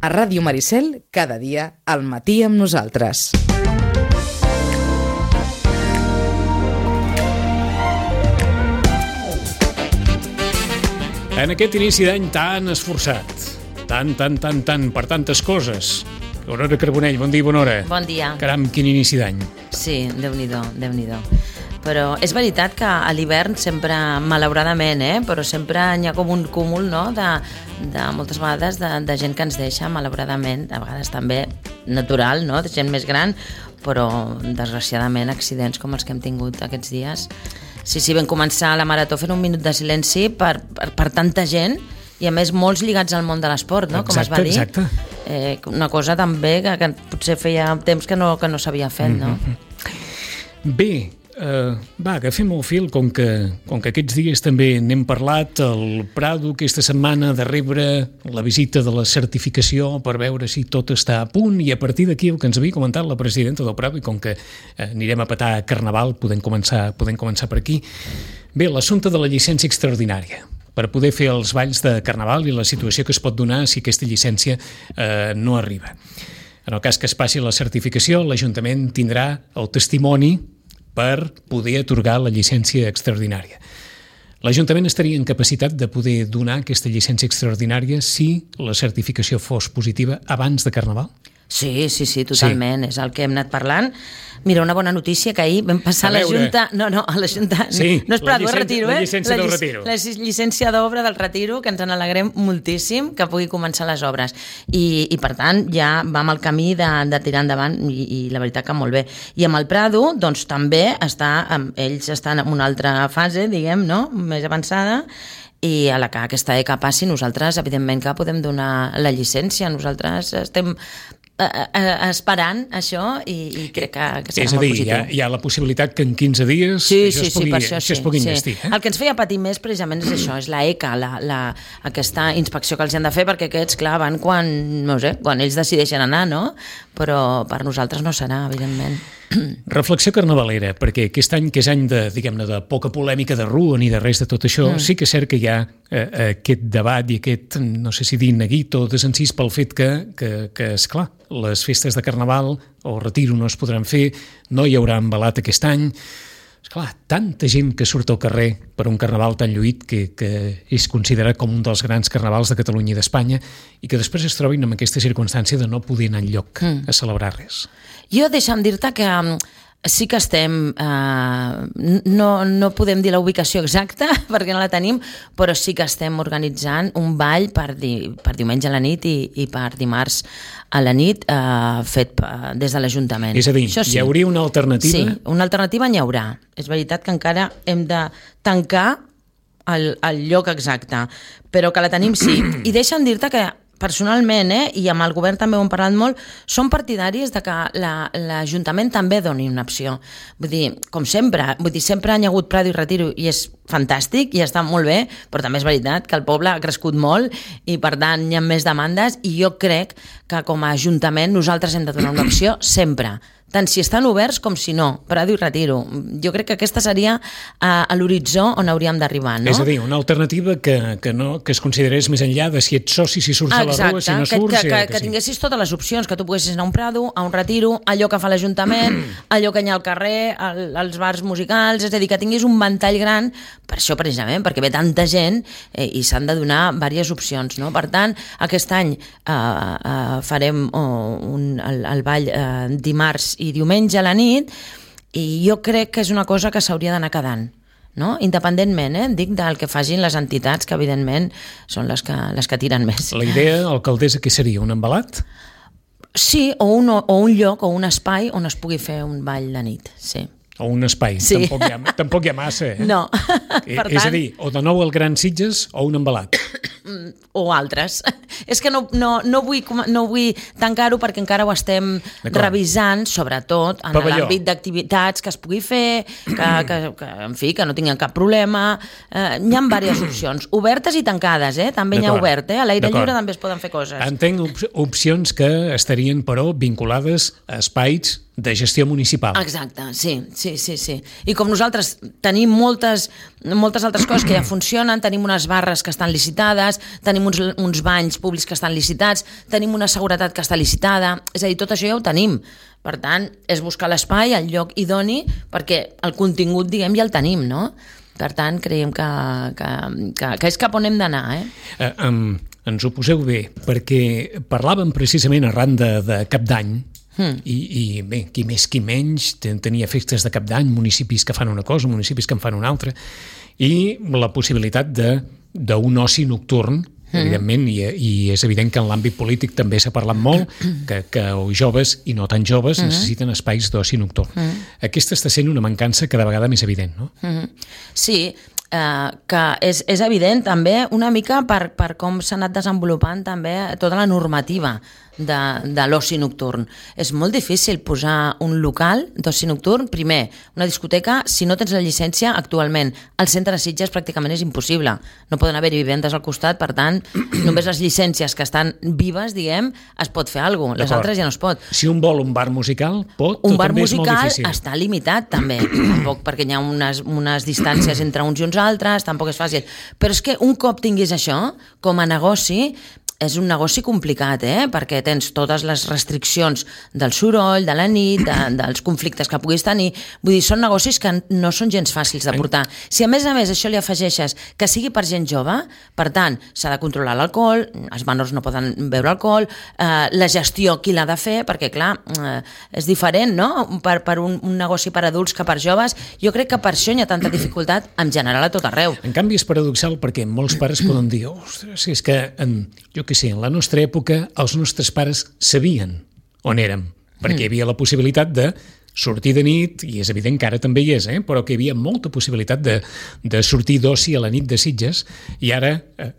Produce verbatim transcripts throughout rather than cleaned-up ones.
A Ràdio Maricel, cada dia, al matí amb nosaltres. En aquest inici d'any tan esforçat, tan, tan, tan, tan, per tantes coses. Aurora Carbonell, bon dia, bona hora. Bon dia. Caram, quin inici d'any. Sí, Déu-n'hi-do, Déu-n'hi-do. Però és veritat que a l'hivern sempre, malauradament, eh, però sempre hi ha com un cúmul, no?, de, de moltes vegades de, de gent que ens deixa, malauradament, a vegades també natural, no?, de gent més gran, però desgraciadament accidents com els que hem tingut aquests dies. Sí, sí, vam començar la marató fent un minut de silenci per, per, per tanta gent i a més molts lligats al món de l'esport, no?, com exacte, es va dir. Exacte, eh, una cosa també que, que potser feia temps que no, que no s'havia fet, no? Mm-hmm. Bé, Uh, va, agafem el fil, com que, com que aquests dies també n'hem parlat, el Prado aquesta setmana de rebre la visita de la certificació per veure si tot està a punt, i a partir d'aquí el que ens havia comentat la presidenta del Prado, i com que uh, anirem a petar a Carnaval, podem començar, podem començar per aquí. Bé, l'assumpte de la llicència extraordinària per poder fer els balls de Carnaval i la situació que es pot donar si aquesta llicència uh, no arriba. En el cas que es passi la certificació, l'Ajuntament tindrà el testimoni per poder atorgar la llicència extraordinària. L'Ajuntament estaria en capacitat de poder donar aquesta llicència extraordinària si la certificació fos positiva abans de Carnaval? Sí, sí, sí, totalment. Sí. És el que hem anat parlant. Mira, una bona notícia que ahir vam passar a, a la Junta... No, no, a la Junta... Sí, no és per dur el retiro, eh? La llicència del retiro. La llicència d'obra del retiro, que ens en alegrem moltíssim que pugui començar les obres. I, i per tant, ja vam al camí de, de tirar endavant i, i la veritat que molt bé. I amb el Prado, doncs també està... Ells estan en una altra fase, diguem, no?, més avançada, i a la que aquesta E C A passi, nosaltres, evidentment, que podem donar la llicència. Nosaltres estem esperant això i, i crec que, que serà és a dir, molt positiu. Hi ha, hi ha la possibilitat que en quinze dies sí, això, sí, es pugui, sí, això, això sí, es pugui sí. investir. Eh? El que ens feia patir més precisament és això, és la E C A, la, la, aquesta inspecció que els han de fer, perquè aquests, clar, van quan, no sé, quan ells decideixen anar, no? Però per nosaltres no serà, evidentment. Reflexió carnavalera, perquè aquest any, que és any de, diguem-ne, de poca polèmica de rua ni de res de tot això, mm. sí que és cert que hi ha eh, aquest debat i aquest, no sé si dir neguit o desencís pel fet que, que, que esclar, les festes de Carnaval o retiro no es podran fer, no hi haurà embalat aquest any. Esclar, tanta gent que surt al carrer per un carnaval tan lluït que, que és considerat com un dels grans carnavals de Catalunya i d'Espanya i que després es trobin amb aquesta circumstància de no poder anar enlloc mm. a celebrar res. Jo deixa'm dir-te que sí que estem, eh, no, no podem dir la ubicació exacta perquè no la tenim, però sí que estem organitzant un ball per, di, per diumenge a la nit i, i per dimarts a la nit eh, fet des de l'Ajuntament. És a dir, sí. Hi hauria una alternativa? Sí, una alternativa n'hi haurà. És veritat que encara hem de tancar el, el lloc exacte, però que la tenim sí. I deixa'm dir-te que personalment, eh, i amb el govern també ho hem parlat molt, són partidaris de que la, l'Ajuntament també doni una opció. Vull dir, com sempre, vull dir, sempre hi ha hagut Prado i retiro i és fantàstic i està molt bé, però també és veritat que el poble ha crescut molt i per tant hi ha més demandes i jo crec que com a Ajuntament nosaltres hem de donar una opció sempre, tant si estan oberts com si no, Prado i retiro. Jo crec que aquesta seria uh, a l'horitzó on hauríem d'arribar, no? És a dir, una alternativa que, que, no, que es considerés més enllà de si ets soci, si surts Exacte, a la rua, si no surts... Que, que, que, que, que sí. tinguessis totes les opcions, que tu poguessis anar a un Prado, a un retiro, allò que fa l'Ajuntament, allò que hi ha al carrer, el, els bars musicals, és a dir, que tinguis un ventall gran, per això precisament, perquè ve tanta gent eh, i s'han de donar diverses opcions, no? Per tant, aquest any eh, eh, farem oh, un, el, el ball eh, dimarts i diumenge a la nit i jo crec que és una cosa que s'hauria d'anar quedant, no? Independentment, eh? Dic del que facin les entitats, que evidentment són les que, les que tiren més. La idea, alcaldessa, què seria? Un embalat? Sí, o un, o un lloc o un espai on es pugui fer un ball de nit, sí. O un espai, sí. tampoc, hi ha, tampoc hi ha massa, eh? No, per tant... És a dir, o de nou el Gran Sitges o un embalat. O altres. És que no, no, no, vull, no vull tancar-ho perquè encara ho estem revisant, sobretot en Pavelló. L'àmbit d'activitats que es pugui fer, que, que, que, en fi, que no tinguin cap problema. Eh, hi ha diverses opcions, obertes i tancades, eh? També n'hi ha obert, eh? A l'aire D'acord. lliure també es poden fer coses. Entenc op opcions que estarien, però, vinculades a espais de gestió municipal. Exacte, sí, sí, sí, sí. I com nosaltres tenim moltes, moltes altres coses que ja funcionen, tenim unes barres que estan licitades, tenim uns, uns banys públics que estan licitats, tenim una seguretat que està licitada, és a dir, tot això ja ho tenim. Per tant, és buscar l'espai, el lloc idoni, perquè el contingut, diguem, ja el tenim, no? Per tant, creiem que, que, que, que és cap on hem d'anar, eh? eh um, ens ho poseu bé, perquè parlàvem precisament arran de, de Cap d'Any, Hmm. I, i bé, qui més qui menys tenia festes de cap d'any, municipis que fan una cosa, municipis que en fan una altra, i la possibilitat d'un oci nocturn, hmm. evidentment, i, i és evident que en l'àmbit polític també s'ha parlat molt, que, que els joves, i no tan joves, hmm. necessiten espais d'oci nocturn. Hmm. Aquesta està sent una mancança cada vegada més evident, no? Hmm. Sí, Uh, que és, és evident també una mica per, per com s'ha anat desenvolupant també tota la normativa de, de l'oci nocturn. És molt difícil posar un local d'oci nocturn. Primer, una discoteca, si no tens la llicència, actualment al centre de Sitges pràcticament és impossible. No poden haver-hi vivendes al costat, per tant, només les llicències que estan vives, diguem, es pot fer alguna cosa. Les altres ja no es pot. Si un vol un bar musical, pot, un o bar també és molt musical difícil? Està limitat, també, tampoc, perquè hi ha unes, unes distàncies entre uns i uns altres, tampoc és fàcil. Però és que un cop tinguis això, com a negoci, és un negoci complicat, eh? Perquè tens totes les restriccions del soroll, de la nit, de, dels conflictes que puguis tenir. Vull dir, són negocis que no són gens fàcils de portar. Si a més a més això li afegeixes que sigui per gent jove, per tant, s'ha de controlar l'alcohol, els menors no poden beure alcohol, eh, la gestió qui l'ha de fer, perquè clar, eh, és diferent, no?, per, per un, un negoci per adults que per joves. Jo crec que per això hi ha tanta dificultat en general a tot arreu. En canvi és paradoxal perquè molts pares poden dir, ostres, és que en, jo que sé, en la nostra època els nostres pares sabien on érem, perquè hi havia la possibilitat de sortir de nit, i és evident que ara també hi és, eh? Però que hi havia molta possibilitat de, de sortir d'oci a la nit de Sitges, i ara,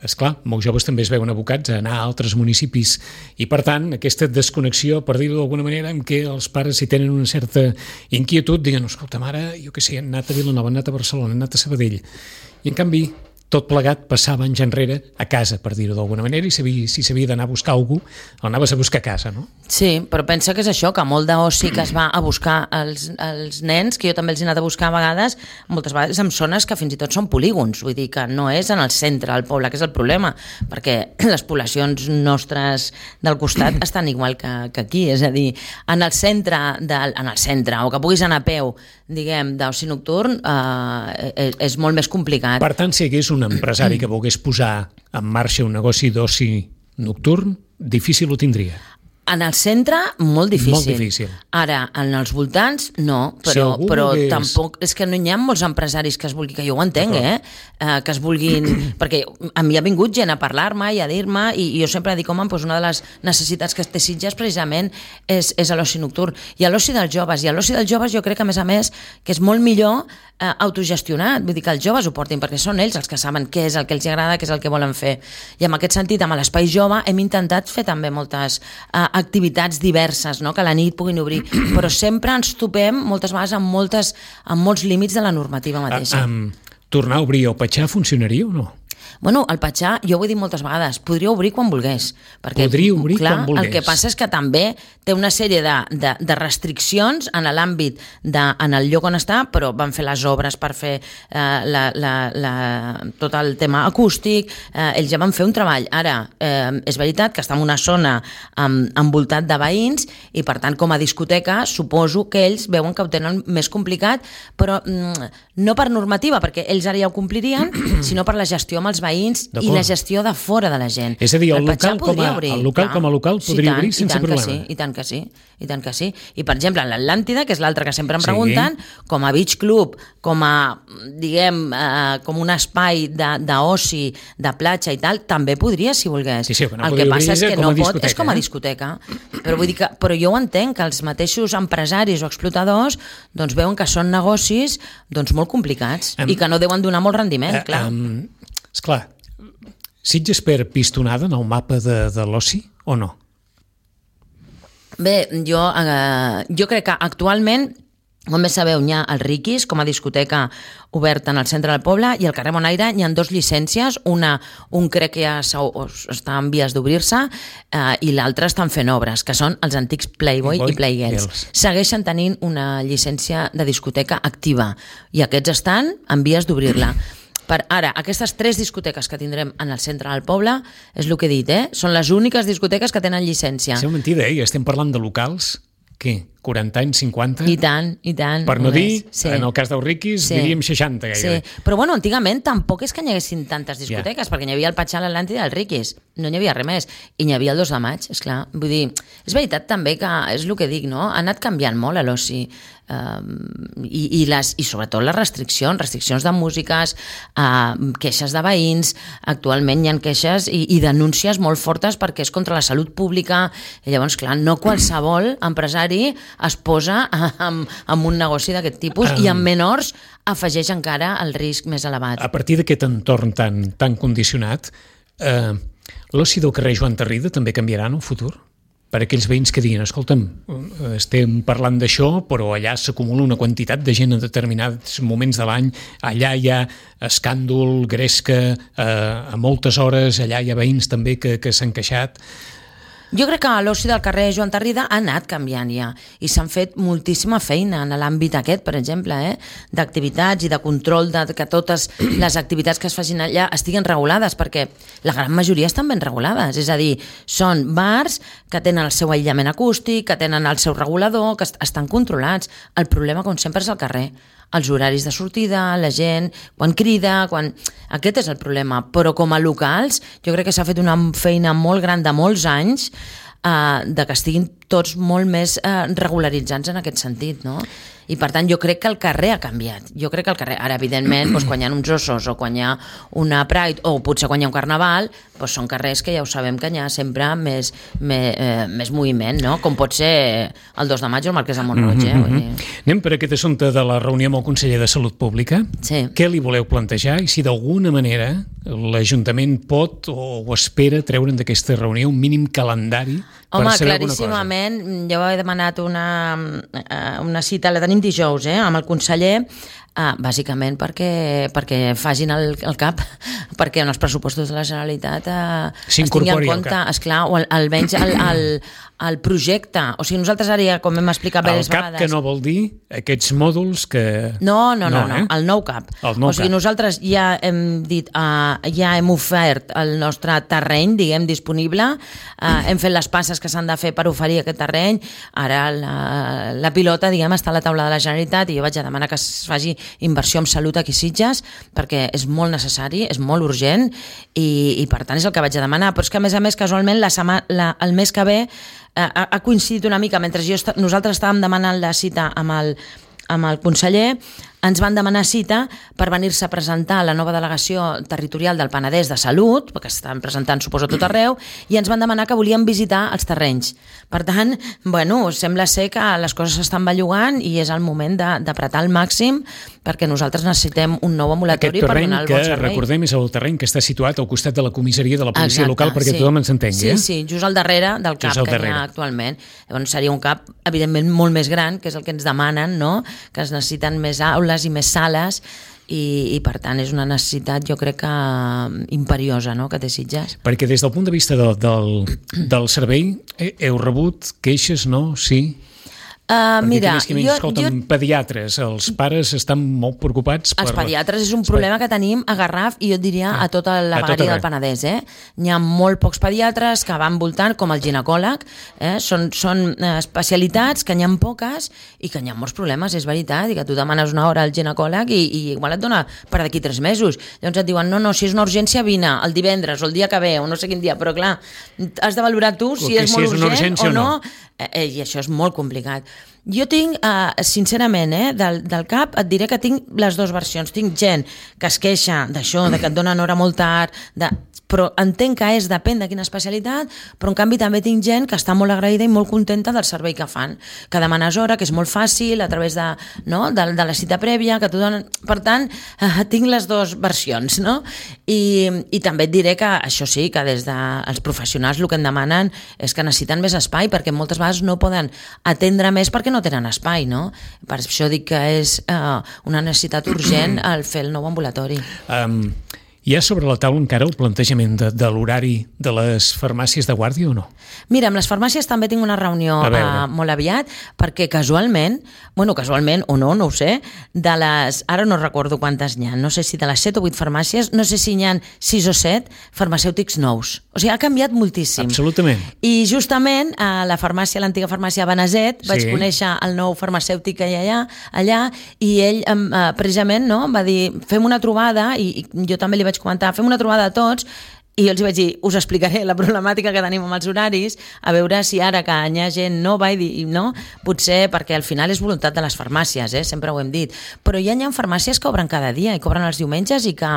esclar, molts joves també es veuen abocats a anar a altres municipis, i per tant, aquesta desconnexió, per dir-ho d'alguna manera, en què els pares, si tenen una certa inquietud, diuen, escolta, mare, jo què sé, han anat a Vilanova, han anat a Barcelona, han anat a Sabadell, i en canvi tot plegat passava anys enrere a casa, per dir-ho d'alguna manera, i sabia, si s'havia d'anar a buscar algú, el anaves a buscar a casa, no? Sí, però pensa que és això, que molt d'oci que es va a buscar els, els nens, que jo també els he anat a buscar a vegades, moltes vegades en zones que fins i tot són polígons, vull dir que no és en el centre del poble, que és el problema, perquè les poblacions nostres del costat estan igual que, que aquí, és a dir, en el centre, del, en el centre, o que puguis anar a peu, diguem, d'oci nocturn, eh, és, és molt més complicat. Per tant, si hi hagués un empresari que volgués posar en marxa un negoci d'oci nocturn, difícil ho tindria. En el centre, molt difícil. Molt difícil. Ara, en els voltants, no, però, si però volgués... tampoc... És que no hi ha molts empresaris que es vulguin, que jo ho entenc, eh? eh? Que es vulguin... Perquè a mi ha vingut gent a parlar-me i a dir-me, i, i jo sempre dic, home, doncs una de les necessitats que té Sitges precisament és, és l'oci nocturn. I l'oci dels joves. I l'oci dels joves jo crec que, a més a més, que és molt millor eh, autogestionat. Vull dir que els joves ho portin, perquè són ells els que saben què és el que els agrada, què és el que volen fer. I en aquest sentit, amb l'Espai Jove, hem intentat fer també moltes eh, activitats diverses, no?, que a la nit puguin obrir, però sempre ens topem moltes vegades amb, moltes, amb molts límits de la normativa mateixa. Uh, um, tornar a obrir el Patxà funcionaria o no? Bueno, el Patxà, jo ho he dit moltes vegades, podria obrir quan volgués. Perquè, podria obrir clar, quan volgués. El que passa és que també té una sèrie de, de, de restriccions en l'àmbit, de, en el lloc on està, però van fer les obres per fer eh, la, la, la, tot el tema acústic, eh, ells ja van fer un treball. Ara, eh, és veritat que està en una zona amb, envoltat de veïns i, per tant, com a discoteca, suposo que ells veuen que ho tenen més complicat, però mm, no per normativa, perquè ells ara ja ho complirien, sinó per la gestió amb els veïns i la gestió de fora de la gent. És a dir, el, el local, com a, obrir, el local com a local podria sí, tant, obrir sense problema. Sí, I tant que sí, i tant que sí. I, per exemple, l'Atlàntida, que és l'altre que sempre em pregunten, sí, com a beach club, com a, diguem, eh, com un espai d'oci, de, de platja i tal, també podria, si volgués. Sí, sí, que no el que passa és que no pot, és com a eh? discoteca. Però, vull dir que, però jo ho entenc, que els mateixos empresaris o explotadors doncs, veuen que són negocis doncs, molt complicats um, i que no deuen donar molt rendiment, uh, clar. Um, Esclar, Sitges per pistonada en el mapa de, de l'oci o no? Bé, jo, eh, jo crec que actualment Com bé sabeu, hi ha el Riquis, com a discoteca oberta en el centre del poble, i al carrer Bonaire hi ha dues llicències, una, un crec que ja està en vies d'obrir-se, eh, i l'altra estan fent obres, que són els antics Playboy i Playgirls. Segueixen tenint una llicència de discoteca activa, i aquests estan en vies d'obrir-la. Per ara, aquestes tres discoteques que tindrem en el centre del poble, és el que he dit, eh? Són les úniques discoteques que tenen llicència. És mentida, eh? Estem parlant de locals, què? quaranta anys, cinquanta? I tant, i tant. Per no dir, sí. En el cas del Riquis, sí. Diríem seixanta gairebé. Sí. Però bueno, antigament tampoc és que n'hi haguessin tantes discoteques, yeah. perquè n'hi havia el Patxal, l'Atlàntida i el Riquis. No n'hi havia res més. I n'hi havia el dos de maig, esclar. Vull dir, és veritat també que, és el que dic, no? Ha anat canviant molt l'oci. Um, i, i, les, i sobretot les restriccions, restriccions de músiques, uh, queixes de veïns, actualment hi ha queixes i, i denúncies molt fortes perquè és contra la salut pública, i llavors, clar, no qualsevol empresari es posa amb, amb un negoci d'aquest tipus um, i amb menors afegeix encara el risc més elevat. A partir d'aquest entorn tan, tan condicionat, eh, l'oci del carrer Joan Tarrida també canviarà en el futur? Per aquells veïns que diguin, escolta'm, estem parlant d'això, però allà s'acumula una quantitat de gent en determinats moments de l'any, allà hi ha escàndol, gresca, eh, a moltes hores, allà hi ha veïns també que, que s'han queixat. Jo crec que l'oci del carrer Joan Tarrida ha anat canviant ja i s'han fet moltíssima feina en l'àmbit aquest, per exemple, eh? d'activitats i de control de que totes les activitats que es facin allà estiguen regulades, perquè la gran majoria estan ben regulades, és a dir, són bars que tenen el seu aïllament acústic, que tenen el seu regulador, que est- estan controlats. El problema, com sempre, és el carrer. Els horaris de sortida, la gent, quan crida, quan... Aquest és el problema. Però com a locals, jo crec que s'ha fet una feina molt gran de molts anys eh, de que estiguin tots molt més eh, regularitzats en aquest sentit, no? I per tant jo crec que el carrer ha canviat. Jo crec que el carrer, ara evidentment, doncs, quan hi ha uns ossos o quan hi ha una Pride o potser quan hi ha un carnaval, doncs són carrers que ja ho sabem que hi ha sempre més, més, eh, més moviment, no? Com pot ser el dos de maig o el Marquès de Mont-roig. Eh? Mm-hmm. Vull dir... Anem per aquest assumpte de la reunió amb el conseller de Salut Pública. Sí. Què li voleu plantejar i si d'alguna manera l'Ajuntament pot o espera treure'n d'aquesta reunió un mínim calendari per Home, saber alguna cosa? Home, claríssimament, jo he demanat una, una cita, la tenim dijous, eh, amb el conseller, eh, bàsicament perquè, perquè facin el, el cap, perquè en els pressupostos de la Generalitat eh, es tingui en compte, esclar, o al, almenys el, el, el projecte. O sigui, nosaltres ara ja, com hem explicat diverses vegades... El cap que no vol dir aquests mòduls que... No, no, no, no, no. Eh? El nou cap. El nou o sigui, cap. nosaltres ja hem dit, uh, ja hem ofert el nostre terreny, diguem, disponible, uh, hem fet les passes que s'han de fer per oferir aquest terreny, ara la, la pilota, diguem, està a la taula de la Generalitat i jo vaig a demanar que es faci inversió en salut aquí a Sitges, perquè és molt necessari, és molt urgent i, i per tant és el que vaig a demanar, però és que a més a més casualment la setmana, la, el mes que ve ha, ha coincidit una mica, mentre jo est- nosaltres estàvem demanant la cita amb el, amb el conseller, ens van demanar cita per venir-se a presentar la nova delegació territorial del Penedès de Salut, perquè estan presentant, suposo, tot arreu, i ens van demanar que volíem visitar els terrenys. Per tant, bueno, sembla ser que les coses s'estan bellugant i és el moment de- d'apretar al màxim perquè nosaltres necessitem un nou ambulatori per donar el bon que, servei. recordem, és el terreny que està situat al costat de la comissaria de la policia Exacte, local, perquè sí. tothom ens entengui. Sí, eh? sí, just al darrere del cap Just al que darrere. hi ha actualment. Llavors seria un cap, evidentment, molt més gran, que és el que ens demanen, no? Que es necessiten més aules i més sales, i, i per tant és una necessitat, jo crec que imperiosa, no?, que té Sitges. Perquè des del punt de vista del, del, del servei, he- heu rebut queixes, no? Sí? Uh, Perquè mira, aquells que jo, escolten, jo pediatres, els pares estan molt preocupats per... Els pediatres és un problema que tenim a Garraf i jo et diria a tota la A tot vegueria arreu. del Penedès. Eh? Hi ha molt pocs pediatres que van voltant, com el ginecòleg. Eh? Són, són eh, especialitats que n'hi ha poques i que n'hi ha molts problemes, és veritat, i que tu demanes una hora al ginecòleg i, i igual et dona per d'aquí tres mesos. Llavors et diuen, no, no, si és una urgència, vine el divendres o el dia que ve, o no sé quin dia, però clar, has de valorar tu si Que és si molt és una urgent urgència o no, o no. Eh, i això és molt complicat. Jo tinc, eh, sincerament, eh, del, del cap, et diré que tinc les dues versions. Tinc gent que es queixa d'això, de que et donen hora molt tard, de... però entenc que és, depèn de quina especialitat, però en canvi també tinc gent que està molt agraïda i molt contenta del servei que fan, que demanes hora, que és molt fàcil, a través de, no, de, de la cita prèvia, que t'ho donen... Per tant, eh, tinc les dues versions, no? I, i també et diré que això sí, que des dels professionals el que em demanen és que necessiten més espai, perquè moltes vegades no poden atendre més perquè no tenen espai, no? Per això dic que és eh, una necessitat urgent el fer el nou ambulatori. Um... Hi ha sobre la taula encara el plantejament de, de l'horari de les farmàcies de guàrdia o no? Mira, amb les farmàcies també tinc una reunió uh, molt aviat, perquè casualment, bueno, casualment o no, no ho sé, de les, ara no recordo quantes n'hi ha, no sé si de les set o vuit farmàcies, no sé si n'hi ha sis o set farmacèutics nous. O sigui, ha canviat moltíssim. Absolutament. I justament a la farmàcia, l'antiga farmàcia Beneset, vaig sí. conèixer el nou farmacèutic que hi ha allà, allà i ell eh, precisament no, va dir, fem una trobada, i, i jo també li vaig comentar, fem una trobada a tots, i jo els vaig dir, us explicaré la problemàtica que tenim amb els horaris, a veure si ara que hi ha gent nova i, i no, potser perquè al final és voluntat de les farmàcies, eh? Sempre ho hem dit, però hi ha, hi ha farmàcies que obren cada dia i que obren els diumenges i que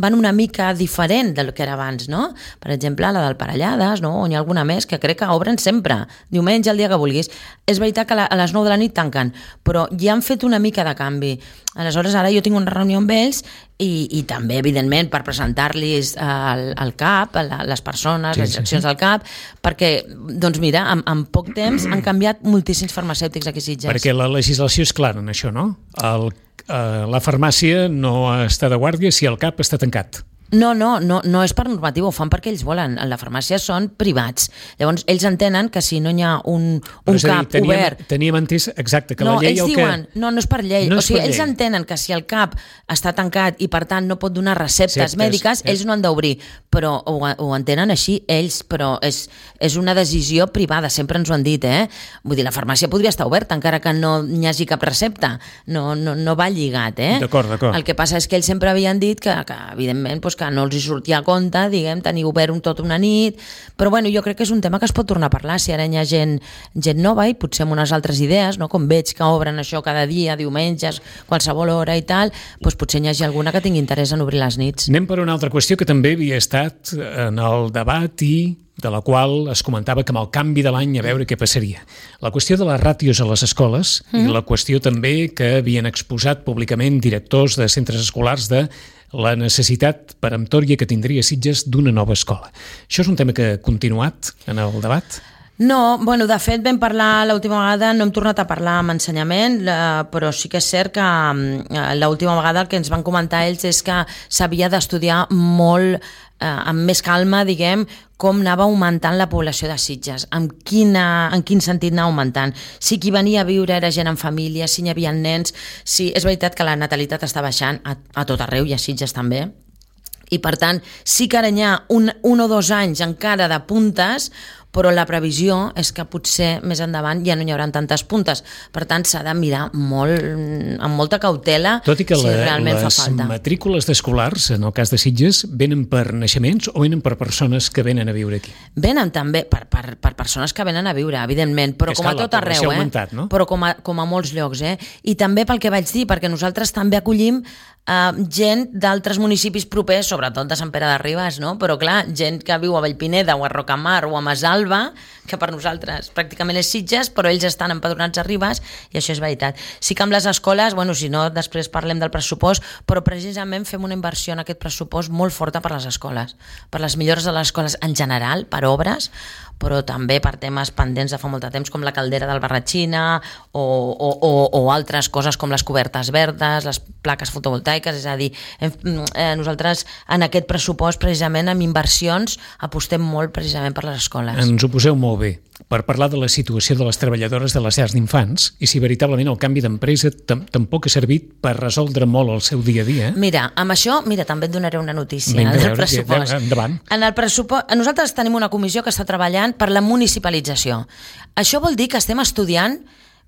van una mica diferent del que era abans, no? Per exemple, la del Parellades, no? O n'hi ha alguna més que crec que obren sempre, diumenge, el dia que vulguis. És veritat que a les nou de la nit tanquen, però ja han fet una mica de canvi. Aleshores, ara jo tinc una reunió amb ells i, i també, evidentment, per presentar-los al, al C A P, a les persones, sí, les direccions sí, sí. del C A P, perquè, doncs mira, en, en poc temps han canviat moltíssims farmacèutics aquí a Sitges. Perquè la legislació és clara en això, no? El la farmàcia no està de guàrdia si el C A P està tancat. No, no, no, no és per normativa, ho fan perquè ells volen. La farmàcia són privats. Llavors, ells entenen que si no hi ha un, un dir, C A P teníem, obert... Teníem entès, exacte, que no, la llei... ells el diuen, que... no, no és per llei. No o sigui, ells llei. entenen que si el C A P està tancat i, per tant, no pot donar receptes Ceptes, mèdiques, eh? ells no han d'obrir. Però ho, ho entenen així ells, però és, és una decisió privada, sempre ens ho han dit, eh? Vull dir, la farmàcia podria estar oberta, encara que no hi hagi cap recepta. No, no, no va lligat, eh? D'acord, d'acord. El que passa és que ells sempre havien dit que, que evidentment, doncs, que no els hi sortia compte, diguem, tenir obert un tot una nit, però bueno, jo crec que és un tema que es pot tornar a parlar, si ara hi ha gent, gent nova i potser amb unes altres idees, no? Com veig que obren això cada dia, diumenges, qualsevol hora i tal, doncs potser hi hagi alguna que tingui interès en obrir les nits. Anem per una altra qüestió que també havia estat en el debat i de la qual es comentava que amb el canvi de l'any a veure què passaria. La qüestió de les ràtios a les escoles mm. i la qüestió també que havien exposat públicament directors de centres escolars de la necessitat peremptòria que tindria Sitges d'una nova escola. Això és un tema que ha continuat en el debat? No, bueno, de fet vam parlar l'última vegada, no hem tornat a parlar amb ensenyament, però sí que és cert que l'última vegada el que ens van comentar ells és que s'havia d'estudiar molt, eh, amb més calma, diguem, com anava augmentant la població de Sitges, en, quina, en quin sentit anava augmentant, si qui venia a viure era gent en família, si hi havia nens, si és veritat que la natalitat està baixant a, a tot arreu i a Sitges també, i per tant sí que ara hi ha un, un o dos anys encara de puntes, però la previsió és que potser més endavant ja no hi haurà tantes puntes. Per tant, s'ha de mirar molt, amb molta cautela Tot i que si la, realment fa falta. Les matrícules d'escolars, en el cas de Sitges, venen per naixements o venen per persones que venen a viure aquí? Venen també per, per, per persones que venen a viure, evidentment, però com a tot arreu, eh? Augmentat, no? Però com a, com a molts llocs, eh? I també pel que vaig dir, perquè nosaltres també acollim Uh, gent d'altres municipis propers, sobretot de Sant Pere de Ribes, no? Però clar, gent que viu a Vallpineda o a Rocamar o a Masalva, que per nosaltres pràcticament és Sitges, però ells estan empadronats a Ribes i això és veritat. Sí que amb les escoles, bueno, si no, després parlem del pressupost, però precisament fem una inversió en aquest pressupost molt forta per les escoles, per les millores de les escoles en general, per obres, però també per temes pendents de fa molt de temps, com la caldera del Barratxina o, o, o, o altres coses com les cobertes verdes, les plaques fotovoltaiques, és a dir, hem, eh, nosaltres en aquest pressupost precisament amb inversions apostem molt precisament per les escoles. Ens ho poseu molt bé, per parlar de la situació de les treballadores de les llars d'infants i si veritablement el canvi d'empresa tam tampoc ha servit per resoldre molt el seu dia a dia. Eh? Mira, amb això, mira, també et donaré una notícia Vinga, del veure, pressupost. Endavant. En el pressupost, nosaltres tenim una comissió que està treballant per la municipalització. Això vol dir que estem estudiant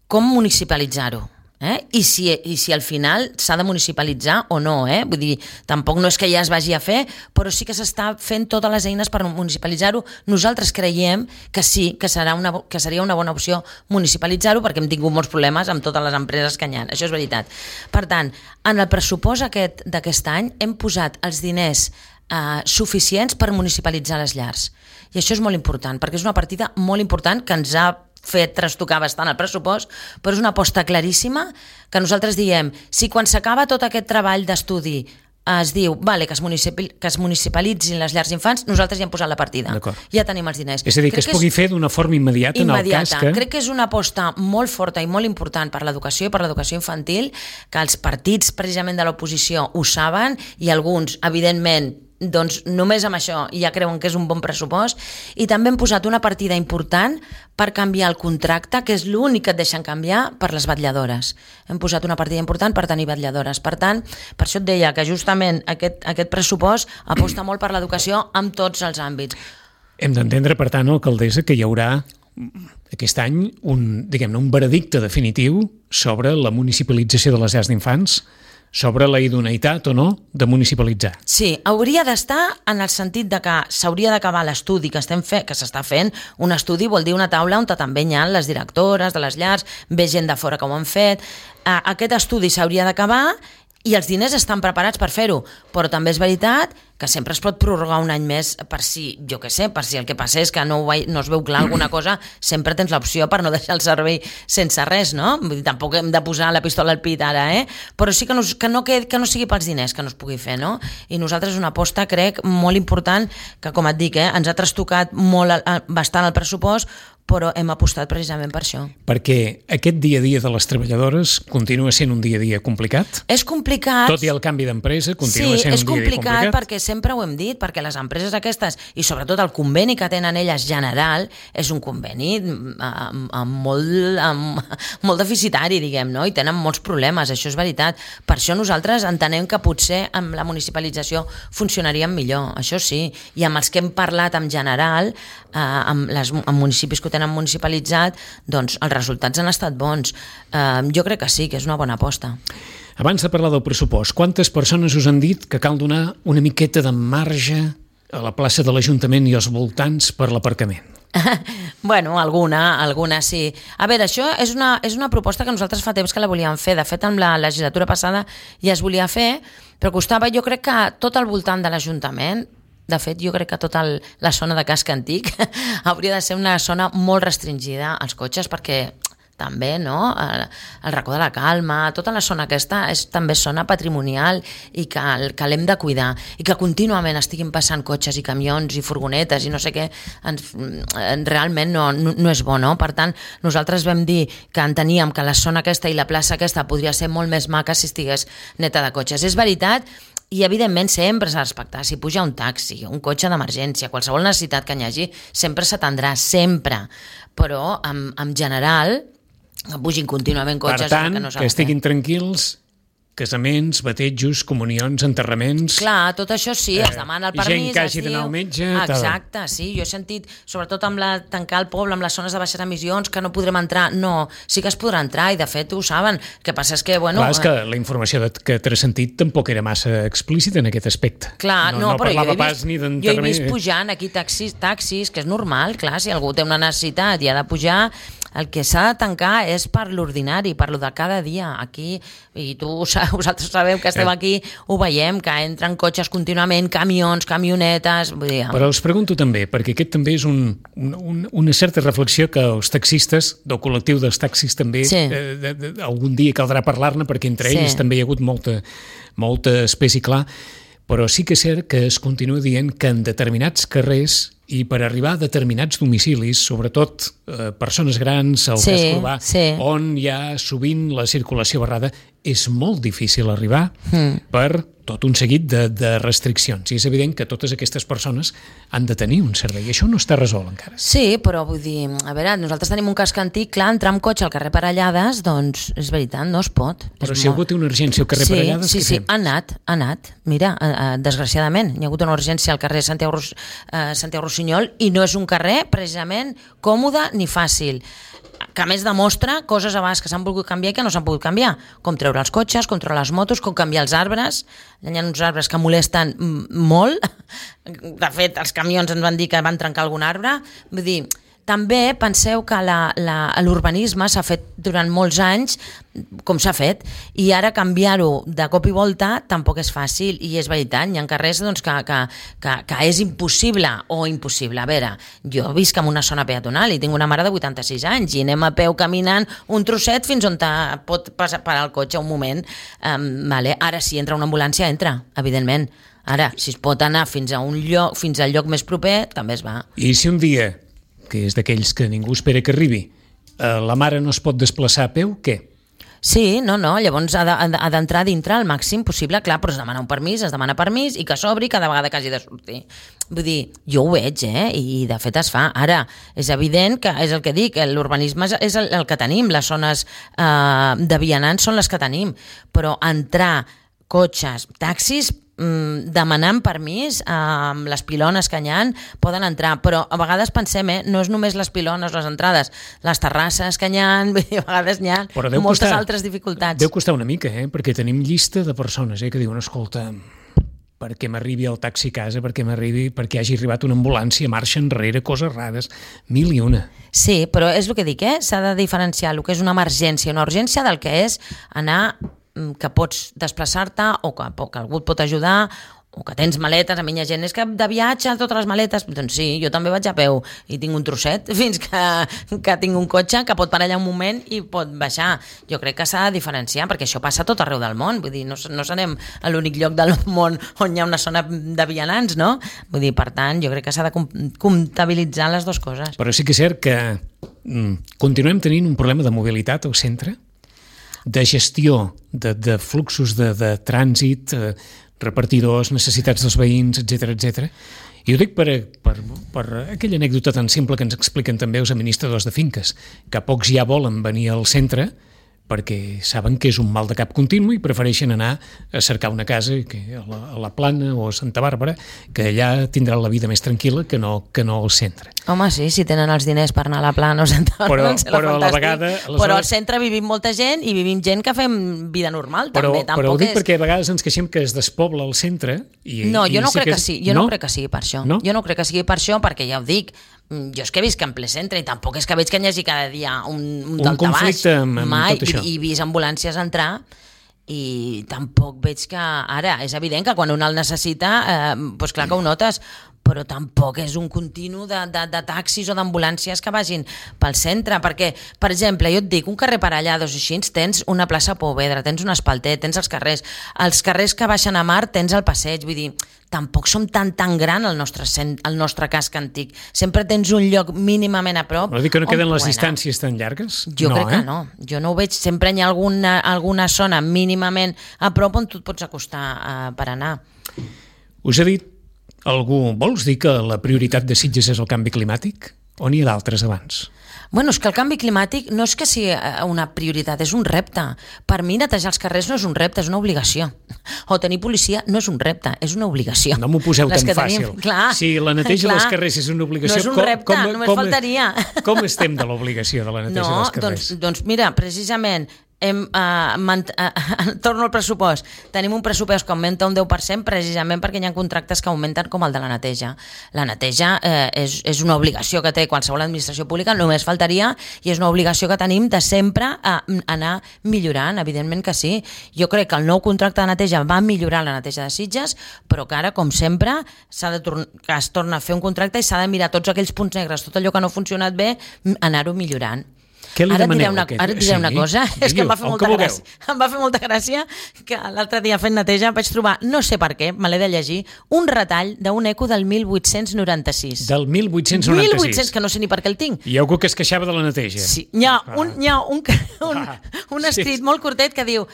com municipalitzar-ho. Eh? I, si, I si al final s'ha de municipalitzar o no, eh? Vull dir, tampoc no és que ja es vagi a fer, però sí que s'està fent totes les eines per municipalitzar-ho. Nosaltres creiem que sí, que, serà una, que seria una bona opció municipalitzar-ho perquè hem tingut molts problemes amb totes les empreses que hi ha. Això és veritat. Per tant, en el pressupost aquest d'aquest any hem posat els diners eh, suficients per municipalitzar les llars. I això és molt important, perquè és una partida molt important que ens ha fet trastocar bastant el pressupost, però és una aposta claríssima que nosaltres diem, si quan s'acaba tot aquest treball d'estudi es diu, vale, que es, municipal, que es municipalitzin les llars d'infants, nosaltres ja hem posat la partida. Ja tenim els diners. És a dir, que crec es pugui és... fer d'una forma immediata, immediata. En el cas que... Crec que és una aposta molt forta i molt important per l'educació i per l'educació infantil, que els partits precisament de l'oposició ho saben i alguns, evidentment, doncs només amb això ja creuen que és un bon pressupost, i també hem posat una partida important per canviar el contracte, que és l'únic que et deixen canviar, per les vetlladores. Hem posat una partida important per tenir vetlladores. Per tant, per això et deia que justament aquest, aquest pressupost aposta molt per l'educació en tots els àmbits. Hem d'entendre, per tant, alcaldessa, que hi haurà aquest any un, diguem-ne, un veredicte definitiu sobre la municipalització de les llars d'infants, sobre la idoneïtat o no de municipalitzar. Sí, hauria d'estar en el sentit de que s'hauria d'acabar l'estudi que estem fe, que s'està fent. Un estudi vol dir una taula on també hi ha les directores de les llars, ve gent de fora que ho han fet. Aquest estudi s'hauria d'acabar i els diners estan preparats per fer-ho, però també és veritat que sempre es pot prorrogar un any més per si, jo què sé, per si el que passa és que no, ve, no es veu clar alguna cosa, sempre tens l'opció per no deixar el servei sense res, no? Vull dir, tampoc hem de posar la pistola al pit ara, eh? Però sí que no, que no, que, que no sigui pels diners que no es pugui fer, no? I nosaltres una aposta, crec, molt important, que com et dic, eh, ens ha trastocat molt, bastant el pressupost, però hem apostat precisament per això. Perquè aquest dia a dia de les treballadores continua sent un dia a dia complicat? És complicat. Tot i el canvi d'empresa continua sí, sent un dia a dia complicat? Sí, és complicat perquè sempre ho hem dit, perquè les empreses aquestes, i sobretot el conveni que tenen elles general, és un conveni amb, amb, molt, amb, molt deficitari, diguem, no? I tenen molts problemes, això és veritat. Per això nosaltres entenem que potser amb la municipalització funcionaríem millor, això sí. I amb els que hem parlat en general, eh, amb, les, amb municipis que ho tenen municipalitzat, doncs els resultats han estat bons. Eh, jo crec que sí, que és una bona aposta. Abans de parlar del pressupost, quantes persones us han dit que cal donar una miqueta de marge a la plaça de l'Ajuntament i als voltants per l'aparcament? Bueno, alguna, alguna sí. A veure, això és una, és una proposta que nosaltres fa temps que la volíem fer. De fet, amb la legislatura passada ja es volia fer, però costava, jo crec que tot al voltant de l'Ajuntament. De fet, jo crec que tota el, la zona de casc antic hauria de ser una zona molt restringida als cotxes, perquè també, no? El, el racó de la Calma, tota la zona aquesta és també zona patrimonial i que, que l'hem de cuidar, i que contínuament estiguin passant cotxes i camions i furgonetes i no sé què, ens, realment no, no, no és bo, no? Per tant, nosaltres vam dir que enteníem que la zona aquesta i la plaça aquesta podria ser molt més maca si estigués neta de cotxes. És veritat. I, evidentment, sempre s'ha de respectar. Si puja un taxi, un cotxe d'emergència, qualsevol necessitat que hi hagi, sempre s'atendrà, sempre. Però, en, en general, pugin contínuament cotxes... Per tant, que, no que estiguin tranquils... Casaments, batejos, comunions, enterraments... Clar, tot això sí, es demana el permís... Gent que hagi d'anar al metge... Exacte, tal. Sí, jo he sentit, sobretot amb la, tancar el poble, amb les zones de baixes emissions, que no podrem entrar. No, sí que es podrà entrar, i de fet ho saben. El que passa és que, bueno... Clar, és que la informació que t'has sentit tampoc era massa explícita en aquest aspecte. Clar, no, no, no però jo he, pas vist, ni jo he vist pujant aquí taxis, taxis, que és normal, clar, si algú té una necessitat i ha de pujar... El que s'ha de tancar és per l'ordinari, per lo de cada dia. Aquí, i tu, vosaltres sabeu que estem aquí, ho veiem, que entren cotxes contínuament, camions, camionetes... Vull dir... Però us pregunto també, perquè aquest també és un, un, una certa reflexió que els taxistes, del col·lectiu dels taxis també, sí. eh, de, de, algun dia caldrà parlar-ne, perquè entre sí. ells també hi ha hagut molta, molta espècie clar, però sí que és cert que es continua dient que en determinats carrers i per arribar a determinats domicilis, sobretot eh, persones grans, al sí, casc urbà, sí. on hi ha sovint la circulació barrada, és molt difícil arribar mm. per tot un seguit de, de restriccions. I és evident que totes aquestes persones han de tenir un servei. I això no està resolt encara. Sí, però vull dir, a veure, nosaltres tenim un casc antic, clar, entrar amb cotxe al carrer Parellades, doncs és veritat, no es pot. Però és si molt... algú té una urgència al carrer sí, Parellades, sí, què sí, fem? ha anat, ha anat. Mira, eh, eh, desgraciadament, hi ha hagut una urgència al carrer Santiago, eh, Santiago Rossinyol, i no és un carrer precisament còmode ni fàcil, que a més demostra coses abans que s'han volgut canviar i que no s'han pogut canviar, com treure els cotxes, com treure les motos, com canviar els arbres. Hi ha uns arbres que molesten molt. De fet, els camions ens van dir que van trencar algun arbre. Vull dir, També penseu que la, la, l'urbanisme s'ha fet durant molts anys com s'ha fet, i ara canviar-ho de cop i volta tampoc és fàcil, i és veritat, hi ha carrers doncs, que, que, que, que és impossible o impossible. A veure, jo visc en una zona peatonal i tinc una mare de vuitanta-sis anys i anem a peu caminant un trosset fins on pot passar, parar el cotxe un moment. Um, vale. Ara, si entra una ambulància, entra, evidentment. Ara, si es pot anar fins a un lloc, fins al lloc més proper, també es va. I si un dia, que és d'aquells que ningú espera que arribi, eh, la mare no es pot desplaçar a peu, què? Sí, no, no, llavors ha, de, ha d'entrar dintre al màxim possible, clar, però es demana un permís, es demana permís i que s'obri cada vegada que hagi de sortir. Vull dir, jo ho veig, eh? I de fet es fa. Ara, és evident que, és el que dic, l'urbanisme és el, el que tenim, les zones eh, de vianants són les que tenim, però entrar cotxes, taxis, demanant permís amb les pilones que hi ha, poden entrar, però a vegades pensem, eh, no és només les pilones, les entrades, les terrasses que hi ha, a vegades hi ha moltes costar, altres dificultats. Deu costar una mica, eh? Perquè tenim llista de persones eh, que diuen, escolta, perquè m'arribi el taxi a casa, perquè m'arribi, perquè hagi arribat una ambulància, marxa enrere, coses rares, mil i una. Sí, però és el que dic, eh? S'ha de diferenciar el que és una emergència, una urgència del que és anar que pots desplaçar-te o que, que algú et pot ajudar o que tens maletes. A mi hi ha gent, és que de viatge totes les maletes, doncs sí, jo també vaig a peu i tinc un trosset fins que, que tinc un cotxe que pot parar allà un moment i pot baixar. Jo crec que s'ha de diferenciar perquè això passa a tot arreu del món, vull dir, no, no serem a l'únic lloc del món on hi ha una zona de vianants, no? Vull dir, per tant, jo crec que s'ha de comptabilitzar les dues coses. Però sí que és cert que mm, continuem tenint un problema de mobilitat al centre, de gestió de, de fluxos de, de trànsit, eh, repartidors, necessitats dels veïns, etcètera, etcètera. I ho dic per, per, per aquella anècdota tan simple que ens expliquen també els administradors de finques, que pocs ja volen venir al centre perquè saben que és un mal de cap continu i prefereixen anar a cercar una casa que a, la, a la Plana o a Santa Bàrbara, que allà tindran la vida més tranquil·la que no, que no al centre. Home, sí, si tenen els diners per anar a la Plana o Santa Bàrbara, però, però a la vegada... Aleshores... Però al centre vivim molta gent i vivim gent que fem vida normal, però, també. Tampoc però ho dic és... perquè a vegades ens queixem que es despobla el centre i... No, jo i no sí crec que, que sí, jo no? no crec que sigui per això. No? Jo no crec que sigui per això, perquè ja ho dic, jo és que visc en ple centre i tampoc és que veig que hi hagi cada dia un, un, un conflicte amb, amb mai, tot això. I, i vist ambulàncies entrar i tampoc veig que... Ara, és evident que quan un el necessita, eh, doncs clar que ho notes, però tampoc és un continu de, de, de taxis o d'ambulàncies que vagin pel centre, perquè, per exemple, jo et dic, un carrer per allà, dos així, tens una plaça Pouvedra, tens un espalter, tens els carrers, els carrers que baixen a mar tens el passeig, vull dir, tampoc som tan tan gran el nostre, el nostre casc antic, sempre tens un lloc mínimament a prop. Vol dir que no queden les distàncies tan llargues? Jo no, crec eh? que no, jo no ho veig, sempre hi ha alguna, alguna zona mínimament a prop on tu et pots acostar uh, per anar. Us he dit algú, vols dir que la prioritat de Sitges és el canvi climàtic? O n'hi ha d'altres abans? Bueno, és que el canvi climàtic no és que sigui una prioritat, és un repte. Per mi netejar els carrers no és un repte, és una obligació. O tenir policia no és un repte, és una obligació. No m'ho poseu Les tan fàcil. Tenim, clar, si la neteja clar, dels carrers és una obligació... No és un com, repte, com, només com, faltaria. Com estem de l'obligació de la neteja no, dels carrers? Doncs, doncs mira, precisament... Hem, uh, mant- uh, torno al pressupost. Tenim un pressupost que augmenta un deu per cent precisament perquè hi ha contractes que augmenten com el de la neteja. La neteja eh, és, és una obligació que té qualsevol administració pública, només faltaria, i és una obligació que tenim de sempre uh, anar millorant, evidentment que sí. Jo crec que el nou contracte de neteja va millorar la neteja de Sitges, però que ara, com sempre, s'ha de tor- que es torna a fer un contracte i s'ha de mirar tots aquells punts negres, tot allò que no ha funcionat bé, anar-ho millorant. Què li ara demaneu? Diré una, Aquest? ara et diré sí? una cosa, Diguiu, és que em va fer molta vulgueu. gràcia. Em va fer molta gràcia que l'altre dia fent neteja vaig trobar, no sé per què, me l'he de llegir, un retall d'un eco del mil vuit-cents noranta-sis. Del mil vuit-cents noranta-sis. mil vuit-cents, que no sé ni per què el tinc. Hi ha algú que es queixava de la neteja. Sí, hi ha Ah. un, hi ha un, un, un escrit Sí. molt curtet que diu: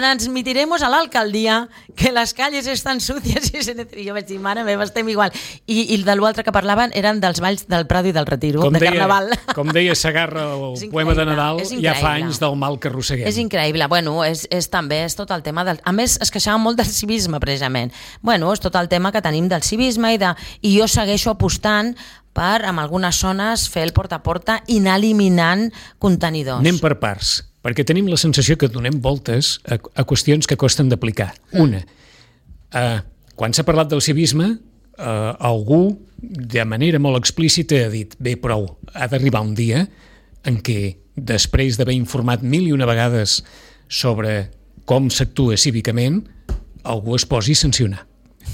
transmitiremos a la alcaldía que las calles están sucias i se net... I jo vaig dir, mare meva, estem igual. I, i de l'altre que parlaven eren dels balls del Prado i del Retiro, Com de deia, Carnaval. com deia Sagarra, el poema de Nadal, ja fa anys del mal que arrosseguem. És increïble. Bueno, és, és també és tot el tema del... A més, es queixava molt del civisme, precisament. Bueno, és tot el tema que tenim del civisme i, de... i jo segueixo apostant per, en algunes zones, fer el porta a porta i anar eliminant contenidors. Anem per parts, perquè tenim la sensació que donem voltes a, a qüestions que costen d'aplicar. Una, eh, quan s'ha parlat del civisme, eh, algú de manera molt explícita ha dit, bé, prou, ha d'arribar un dia en què, després d'haver informat mil i una vegades sobre com s'actua cívicament, algú es posi a sancionar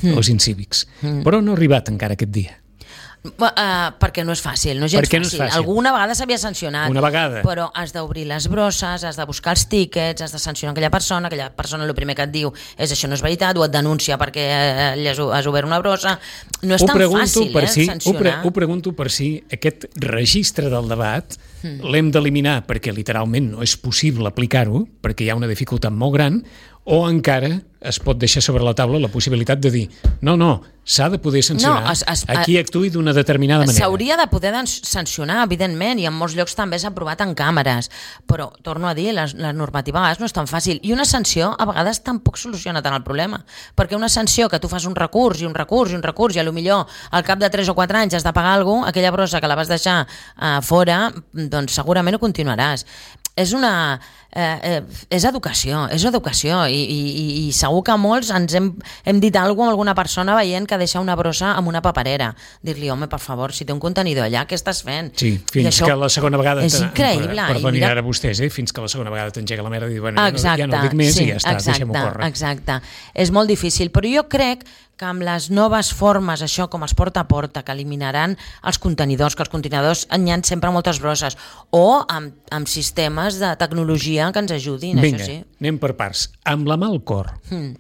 mm. els incívics. Mm. Però no ha arribat encara aquest dia. Uh, perquè no és fàcil, no és gens perquè no fàcil. és fàcil. Alguna vegada s'havia sancionat, Una vegada. però has d'obrir les brosses, has de buscar els tíquets, has de sancionar aquella persona, aquella persona el primer que et diu és això no és veritat, o et denuncia perquè eh, has, has obert una brossa. No és ho tan fàcil fàcil, eh, si, sancionar. Ho, pre, ho pregunto per si aquest registre del debat mm. l'hem d'eliminar perquè literalment no és possible aplicar-ho, perquè hi ha una dificultat molt gran, o encara es pot deixar sobre la taula la possibilitat de dir no, no, s'ha de poder sancionar no, es, es, a qui actuï d'una determinada manera. S'hauria de poder sancionar, evidentment, i en molts llocs també s'ha aprovat en càmeres, però, torno a dir, la, la normativa a vegades no és tan fàcil, i una sanció a vegades tampoc soluciona tant el problema, perquè una sanció que tu fas un recurs i un recurs i un recurs i a lo millor al cap de tres o quatre anys has de pagar alguna cosa, aquella brossa que la vas deixar uh, fora, doncs segurament ho continuaràs. És una... Eh, eh, és educació, és educació i, i, i segur que molts ens hem, hem dit alguna cosa amb alguna persona veient que deixa una brossa amb una paperera. Dir-li, home, per favor, si té un contenidor allà, què estàs fent? Sí, fins que la segona vegada... És increïble. Perdonin mira... ara vostès, eh? Fins que la segona vegada t'engega la merda i dir, bueno, exacte, ja, no, ja no ho dic més sí, i ja està, exacte, deixem-ho córrer. Exacte, és molt difícil, però jo crec que amb les noves formes, això com els porta a porta, que eliminaran els contenidors, que els contenidors n'hi ha sempre moltes brosses, o amb, amb sistemes de tecnologia que ens ajudin, Vinga, això sí. anem per parts. Amb la mà al cor, Mm.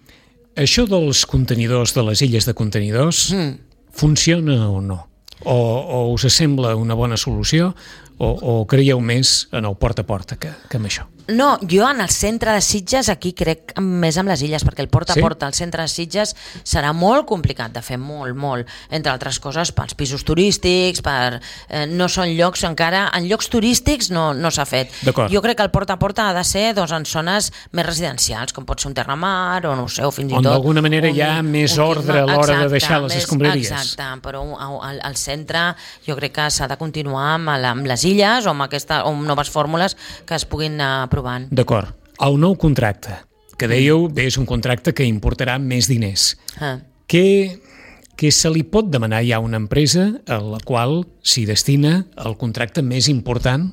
això dels contenidors, de les illes de contenidors, Mm. funciona o no? O, o us sembla una bona solució o, o creieu més en el porta a porta que, que en això? No, jo en el centre de Sitges aquí crec més amb les illes, perquè el porta a porta al centre de Sitges serà molt complicat de fer, molt, molt, entre altres coses pels pisos turístics, per, eh, no són llocs encara, en llocs turístics no, no s'ha fet. Jo crec que el porta a porta ha de ser doncs, en zones més residencials, com pot ser un Terramar o no ho sé, o fins i tot... On d'alguna manera un, hi ha més ordre a l'hora de deixar les escombraries. Exacte, però al, al centre jo crec que s'ha de continuar amb, amb les illes o amb, aquesta, o amb noves fórmules que es puguin uh, provant. D'acord. El nou contracte, que dèieu, bé, és un contracte que importarà més diners. Ah. Què, què se li pot demanar ja a una empresa a la qual s'hi destina el contracte més important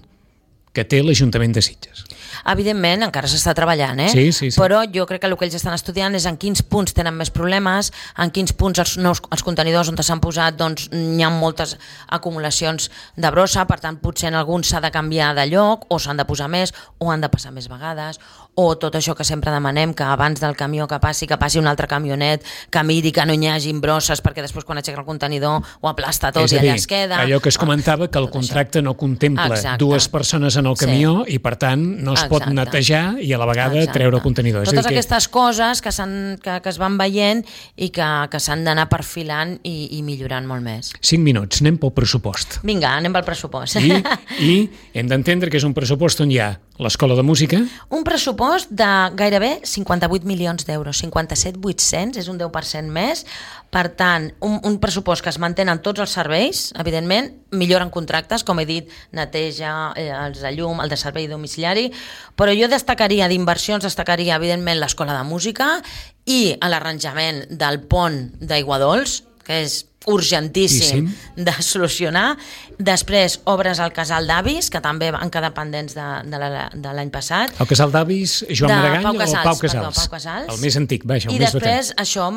que té l'Ajuntament de Sitges? Evidentment, encara s'està treballant, eh? Sí, sí, sí. Però jo crec que el que ells estan estudiant és en quins punts tenen més problemes, en quins punts els, nous, els contenidors on s'han posat doncs hi ha moltes acumulacions de brossa, per tant potser en alguns s'ha de canviar de lloc o s'han de posar més o han de passar més vegades, o tot això que sempre demanem, que abans del camió que passi, que passi un altre camionet, que miri que no hi hagi brosses, perquè després quan aixeca el contenidor ho aplasta tot és i allà dir, es queda. Allò que es comentava, que el contracte no contempla Exacte. dues persones en el camió sí. i per tant no es pot Exacte. netejar i a la vegada Exacte. treure el contenidor. Totes és dir, aquestes que... coses que, que, que es van veient i que, que s'han d'anar perfilant i, i millorant molt més. Cinc minuts, anem pel pressupost. Vinga, anem pel pressupost. I, i hem d'entendre que és un pressupost on hi ha l'Escola de Música. Un pressupost de gairebé cinquanta-vuit milions d'euros, cinquanta-set mil vuit-cents, és un deu per cent més. Per tant, un, un pressupost que es mantenen tots els serveis, evidentment, milloren contractes, com he dit, neteja, eh, els de llum, el de servei domiciliari, però jo destacaria d'inversions, destacaria, evidentment, l'Escola de Música i l'arranjament del pont d'Aiguadols, que és urgentíssim sí, sí. de solucionar. Després, obres al Casal d'Avis, que també van quedar pendents de, de l'any passat. El Casal d'Avis, Joan Maragall Pau Casals, o Pau Casals? Perdó, Pau Casals. El més antic, vaja, el I més després, vetent. això,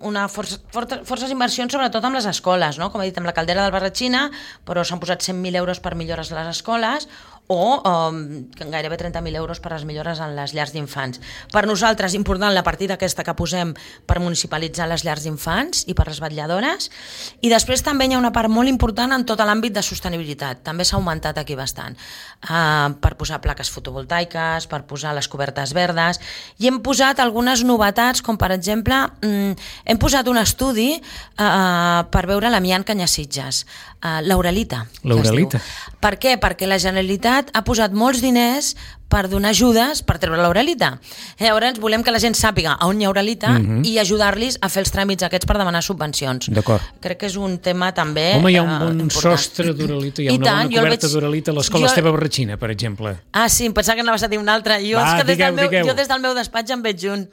una força, força, forces inversions, sobretot amb les escoles, no? Com he dit, amb la caldera del Barratxina, però s'han posat cent mil euros per millores a les escoles, o um, gairebé trenta mil euros per les millores en les llars d'infants. Per nosaltres, important la partida aquesta que posem per municipalitzar les llars d'infants i per les vetlladores, i després també hi ha una part molt important en tot l'àmbit de sostenibilitat, també s'ha augmentat aquí bastant, uh, per posar plaques fotovoltaiques, per posar les cobertes verdes, i hem posat algunes novetats, com per exemple, um, hem posat un estudi uh, per veure l'amiant que hi ha a Sitges, uh, l'Aurelita. L'Aurelita. Per què? Perquè la Generalitat ha posat molts diners per donar ajudes per treure l'Aurelita. Llavors volem que la gent sàpiga on hi ha Aurelita uh-huh. i ajudar-los a fer els tràmits aquests per demanar subvencions. D'acord. Crec que és un tema també Home, hi ha un bon eh, sostre d'Aurelita, hi ha I una tant, bona coberta veig... d'Aurelita a l'Escola jo... Esteve Barratxina, per exemple. Ah, sí, em pensava que anaves a dir una altra. Jo, Va, és que des digueu, del meu, digueu. jo des del meu despatx en veig un,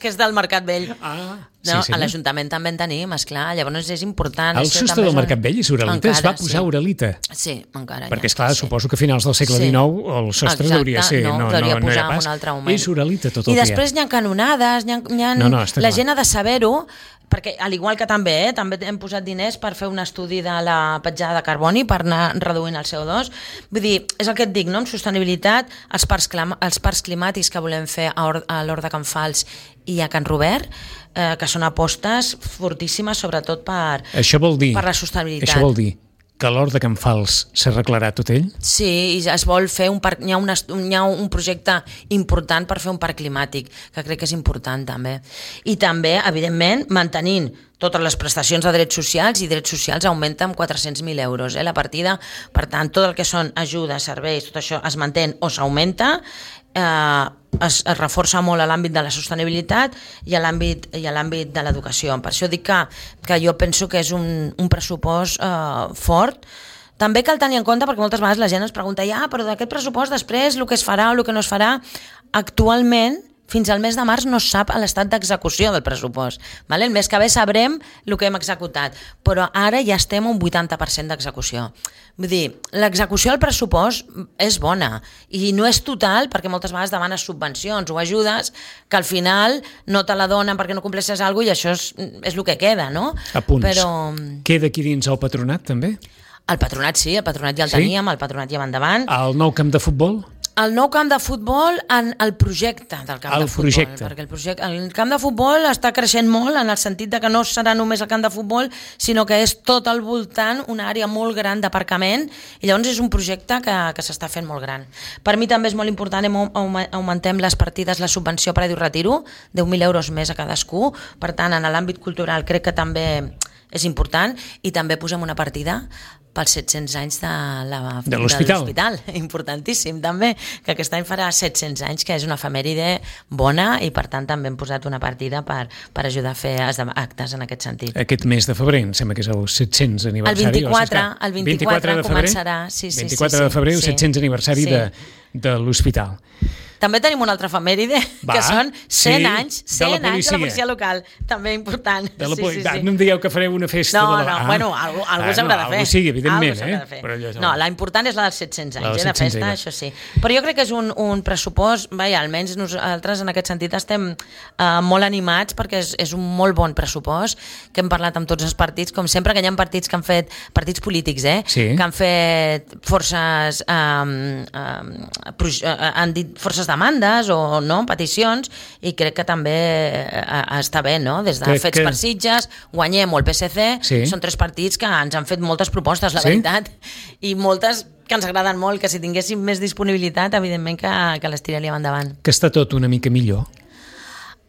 que és del Mercat Vell. Ah. No, Sí, sí, a l'Ajuntament també en tenim, esclar, llavors és important. El és que sostre també del és un- Mercat Vell és uralita, es va Encara, posar sí. uralita. Sí, encara Perquè, ja, esclar, sí. suposo que a finals del segle Sí. dinou el sostre Exacte, hauria ser, no, no, no, hauria no, posar era en pas. un altre moment. És uralita tot I el després que hi n'hi ha canonades, n'hi ha, n'hi ha... No, no, està la clar. gent ha de saber-ho, perquè al igual que també, eh, també hem posat diners per fer un estudi de la petjada de carboni, per anar reduint el C O dos. Vull dir, és el que et dic, no? Amb sostenibilitat, els parcs, clam- els parcs climàtics que volem fer a, Or a l'Hort de Can Fals i a Can Robert, eh, que són apostes fortíssimes, sobretot per, Això vol dir, per la sostenibilitat. això vol dir que a l'Hort de Can Fals s'arreglarà tot ell? Sí, i es vol fer un parc, hi ha, una, hi ha un projecte important per fer un parc climàtic, que crec que és important també. I també, evidentment, mantenint totes les prestacions de drets socials, i drets socials augmenta amb quatre-cents mil euros, eh, la partida. Per tant, tot el que són ajudes, serveis, tot això es mantén o s'augmenta, eh, es, es reforça molt a l'àmbit de la sostenibilitat i a l'àmbit i a l'àmbit de l'educació. Per això dic que, que jo penso que és un, un pressupost eh, fort. També cal tenir en compte, perquè moltes vegades la gent es pregunta ja, però d'aquest pressupost després el que es farà o el que no es farà, actualment fins al mes de març no es sap l'estat d'execució del pressupost. Vale? El mes que ve sabrem el que hem executat, però ara ja estem a un vuitanta per cent d'execució. Vull dir, l'execució del pressupost és bona i no és total, perquè moltes vegades demanes subvencions o ajudes que al final no te la donen perquè no compleixes alguna cosa i això és, és el que queda, no? Apunts. Però Queda aquí dins el patronat, també? el patronat sí, el patronat ja el Sí? teníem, el patronat ja va endavant. Al nou camp de futbol? El nou camp de futbol en el projecte del camp El de futbol. projecte. Perquè el, projecte, el camp de futbol està creixent molt en el sentit de que no serà només el camp de futbol, sinó que és tot al voltant una àrea molt gran d'aparcament i llavors és un projecte que, que s'està fent molt gran. Per mi també és molt important, hem, augmentem les partides, la subvenció per a retiro, deu mil euros més a cadascú, per tant en l'àmbit cultural crec que també és important, i també posem una partida pels set-cents anys de la, de l'hospital. Importantíssim també, que aquest any farà set-cents anys, que és una efemèride bona, i per tant també hem posat una partida per, per ajudar a fer actes en aquest sentit. Aquest mes de febrer, em sembla que és el set-cents aniversari. El vint-i-quatre, el vint-i-quatre de febrer, començarà. Sí, sí, vint-i-quatre sí, sí, de febrer, el sí. set-cents aniversari Sí. de, de l'hospital. També tenim una altra efemèride, Va, que són cent sí, anys, de la cent anys de la policia. policia local, també important. De la sí, poli- sí, Ah, sí. no em dieu que fareu una festa No, de la... no, bueno, algú, algú Ah, s'haurà no, de fer. algú sí, evidentment, Algú s'haurà eh? de fer. Però allò- No, la important és la dels set-cents La anys, dels eh, de set-cents festa, anys. això sí. Però jo crec que és un, un pressupost, vaja, almenys nosaltres en aquest sentit estem eh, molt animats, perquè és, és un molt bon pressupost, que hem parlat amb tots els partits, com sempre que hi ha partits que han fet, partits polítics, eh? Sí. Que han fet forces, eh, eh, proj- eh, han dit forces demandes o no, peticions, i crec que també eh, està bé, no? Des de Crec Fets que- per Sitges, Guanyem o el P S C, Sí. són tres partits que ens han fet moltes propostes, la Sí? veritat, i moltes que ens agraden molt, que si tinguéssim més disponibilitat, evidentment que, que les tiraríem endavant. Que està tot una mica millor.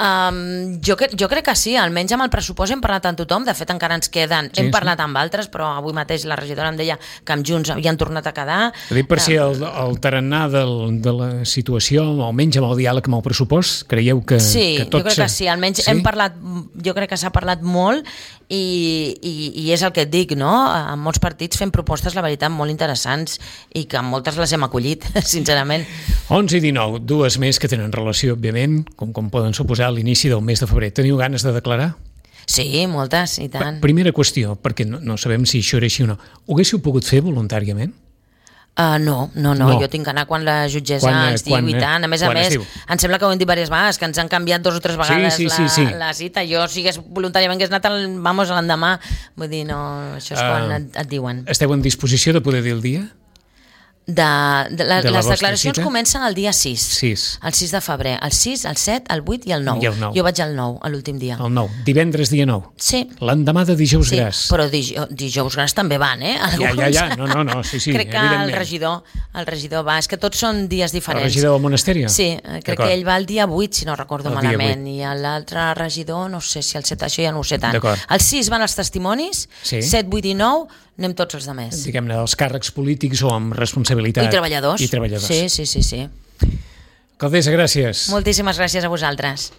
Um, jo, cre jo crec que sí, almenys amb el pressupost hem parlat amb tothom, de fet encara ens queden, Sí, hem sí. parlat amb altres, però avui mateix la regidora em deia que amb Junts havien tornat a quedar. Ho dic per si el, el tarannà del, de la situació, almenys amb el diàleg amb el pressupost, creieu que, Sí, que tot jo crec que sí, almenys hem parlat, jo crec que s'ha parlat molt, i, i, i és el que et dic, no? En molts partits fem propostes, la veritat, molt interessants, i que moltes les hem acollit, sincerament. onze i dinou, dues més que tenen relació, òbviament, com, com poden suposar, a l'inici del mes de febrer. Teniu ganes de declarar? Sí, moltes, i tant. Primera qüestió, perquè no, no sabem si això era així o no. Ho haguéssiu pogut fer voluntàriament? Uh, no, no, no, No. jo tinc que anar quan la jutgessa Quan, eh, ens diu quan, i eh, tant. A més a quan es més, diu. em sembla que ho hem dit diverses vegades, que ens han canviat dos o tres vegades sí, sí, la, sí. la cita. Jo, si hagués voluntàriament hagués anat el, vamos, a l'endemà. Vull dir, no, això és quan Ah. et, et diuen. Esteu en disposició de poder dir el dia? De, de, la, De la les vostra declaracions cita? comencen el dia sis. sis. El sis de febrer. El sis, el set, el vuit i el nou. I el nou. Jo vaig al nou, a l'últim dia. El nou. Divendres, dia nou. Sí. L'endemà de dijous Sí, gras. però dijous, dijous grans també van, eh? Ja, Alguns. ja, ja. No, no, no. Sí, sí, crec que evidentment. el regidor, el regidor va. És que tots són dies El diferents. regidor del monasteri? Sí, eh, crec D'acord. que ell va el dia vuit, si no recordo El dia malament, i l'altre regidor, no sé si el set, això ja no ho sé tant. D'acord. El sis van els testimonis, Sí. set, vuit i nou, anem tots els demés. Diguem-ne, dels càrrecs polítics o amb responsabilitat. I treballadors. I treballadors. Sí, sí, sí, sí. Alcaldessa, gràcies. Moltíssimes gràcies a vosaltres.